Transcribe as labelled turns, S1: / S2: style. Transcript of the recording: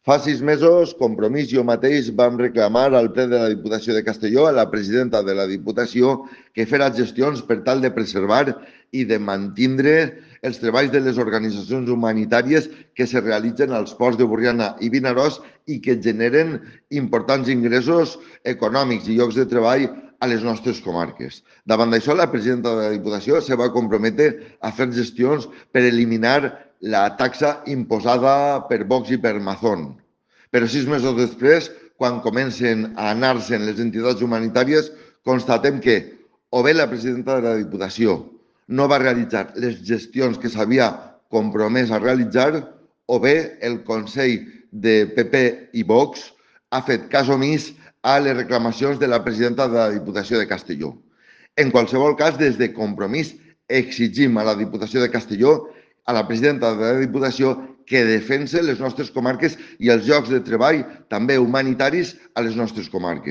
S1: Fa 6 mesos, Compromís i jo mateix vam reclamar al ple de la Diputació de Castelló a la presidenta de la Diputació que fera gestions per tal de preservar i de mantindre els treballs de les organitzacions humanitàries que se realitzen als ports de Borriana i Vinaròs i que generen importants ingressos econòmics i llocs de treball a les nostres comarques. Davant d'això, la presidenta de la Diputació se va comprometre a fer gestions per eliminar la taxa imposada per Vox i per Mazón. Però 6 mesos després, quan comencen a anar-se'n les entitats humanitàries, constatem que o bé la presidenta de la Diputació no va realitzar les gestions que s'havia compromès a realitzar, o bé el Consell de PP i Vox ha fet cas omís a les reclamacions de la presidenta de la Diputació de Castelló. En qualsevol cas, des de Compromís exigim a la Diputació de Castelló, a la presidenta de la Diputació, que defense les nostres comarques i els llocs de treball, també humanitaris, a les nostres comarques.